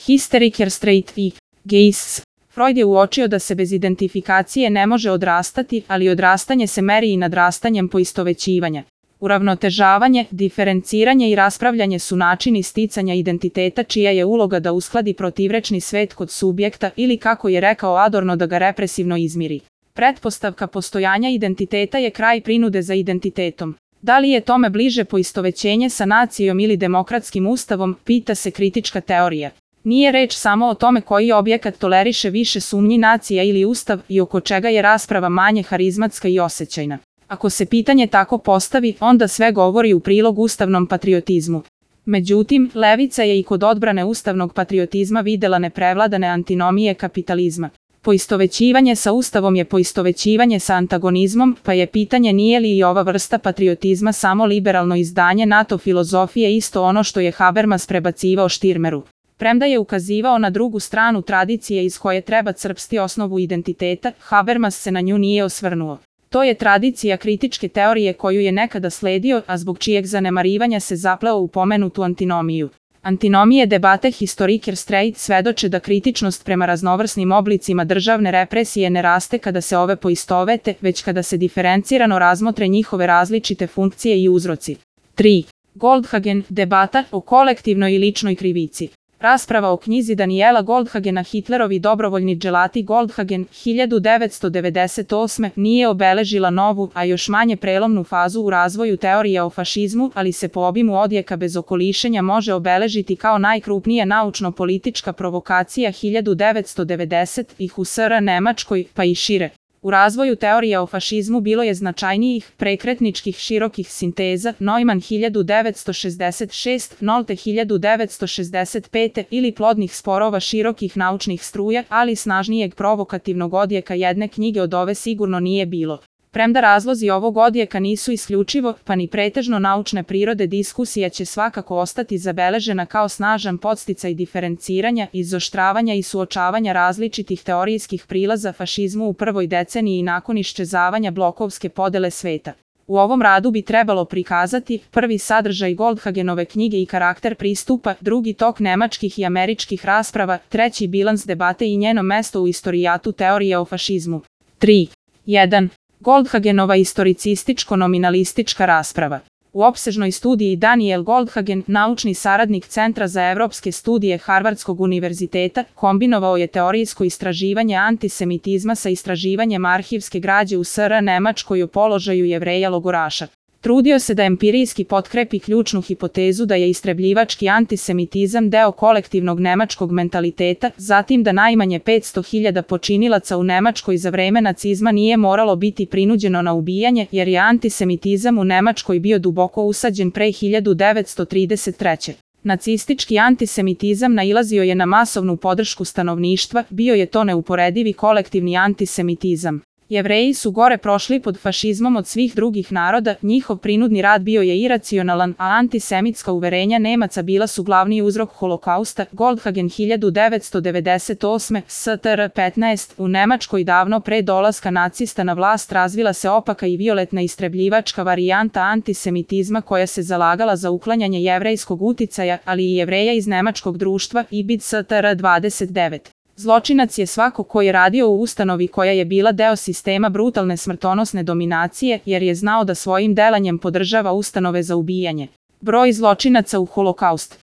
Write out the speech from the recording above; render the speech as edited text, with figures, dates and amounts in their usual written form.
Hysteriker straight i gays. Freud je uočio da se bez identifikacije ne može odrastati, ali odrastanje se meri i nadrastanjem poistovećivanja. Uravnotežavanje, diferenciranje i raspravljanje su načini sticanja identiteta čija je uloga da uskladi protivrečni svet kod subjekta ili, kako je rekao Adorno, da ga represivno izmiri. Pretpostavka postojanja identiteta je kraj prinude za identitetom. Da li je tome bliže poistovećenje sa nacijom ili demokratskim ustavom, pita se kritička teorija. Nije reč samo o tome koji objekat toleriše više sumnji, nacija ili ustav, i oko čega je rasprava manje harizmatska i osjećajna. Ako se pitanje tako postavi, onda sve govori u prilog ustavnom patriotizmu. Međutim, levica je i kod odbrane ustavnog patriotizma videla neprevladane antinomije kapitalizma. Poistovećivanje sa ustavom je poistovećivanje sa antagonizmom, pa je pitanje nije li i ova vrsta patriotizma samo liberalno izdanje NATO filozofije, isto ono što je Habermas prebacivao Štirmeru. Premda je ukazivao na drugu stranu tradicije iz koje treba crpsti osnovu identiteta, Habermas se na nju nije osvrnuo. To je tradicija kritičke teorije koju je nekada sledio, a zbog čijeg zanemarivanja se zapleo u pomenutu antinomiju. Antinomije debate Historiker straight svedoče da kritičnost prema raznovrsnim oblicima državne represije ne raste kada se ove poistovete, već kada se diferencirano razmotre njihove različite funkcije i uzroci. 3. Goldhagen, debata o kolektivnoj i ličnoj krivici. Rasprava o knjizi Daniela Goldhagena Hitlerovi dobrovoljni dželati Goldhagen 1998. nije obeležila novu, a još manje prelomnu fazu u razvoju teorije o fašizmu, ali se po obimu odjeka bez okolišenja može obeležiti kao najkrupnija naučno-politička provokacija 1990-ih u SR Nemačkoj, pa i šire. U razvoju teorija o fašizmu bilo je značajnijih, prekretničkih širokih sinteza, Neumann 1966, Nolte 1965 ili plodnih sporova širokih naučnih struja, ali snažnijeg provokativnog odjeka jedne knjige od ove sigurno nije bilo. Premda razlozi ovog odjeka nisu isključivo, pa ni pretežno naučne prirode, diskusija će svakako ostati zabeležena kao snažan podsticaj diferenciranja, izoštravanja i suočavanja različitih teorijskih prilaza fašizmu u prvoj deceniji nakon iščezavanja blokovske podele sveta. U ovom radu bi trebalo prikazati prvi sadržaj Goldhagenove knjige i karakter pristupa, drugi tok nemačkih i američkih rasprava, treći bilans debate i njeno mesto u istorijatu teorije o fašizmu. 3. 1. Goldhagenova istoricističko-nominalistička rasprava. U opsežnoj studiji Daniel Goldhagen, naučni saradnik Centra za evropske studije Harvardskog univerziteta, kombinovao je teorijsko istraživanje antisemitizma sa istraživanjem arhivske građe u SR Nemačkoj o položaju Jevreja logoraša. Trudio se da empirijski potkrepi ključnu hipotezu da je istrebljivački antisemitizam deo kolektivnog nemačkog mentaliteta, zatim da najmanje 500.000 počinilaca u Nemačkoj za vreme nacizma nije moralo biti prinuđeno na ubijanje, jer je antisemitizam u Nemačkoj bio duboko usađen pre 1933. Nacistički antisemitizam nailazio je na masovnu podršku stanovništva, bio je to neuporedivi kolektivni antisemitizam. Jevreji su gore prošli pod fašizmom od svih drugih naroda, njihov prinudni rad bio je iracionalan, a antisemitska uverenja Nemaca bila su glavni uzrok holokausta. Goldhagen 1998. STR 15. U Nemačkoj davno pre dolaska nacista na vlast razvila se opaka i violetna istrebljivačka varijanta antisemitizma koja se zalagala za uklanjanje jevrejskog uticaja, ali i Jevreja iz nemačkog društva, IBID STR 29. Zločinac je svako ko je radio u ustanovi koja je bila deo sistema brutalne smrtonosne dominacije, jer je znao da svojim delanjem podržava ustanove za ubijanje. Broj zločinaca u Holokaust.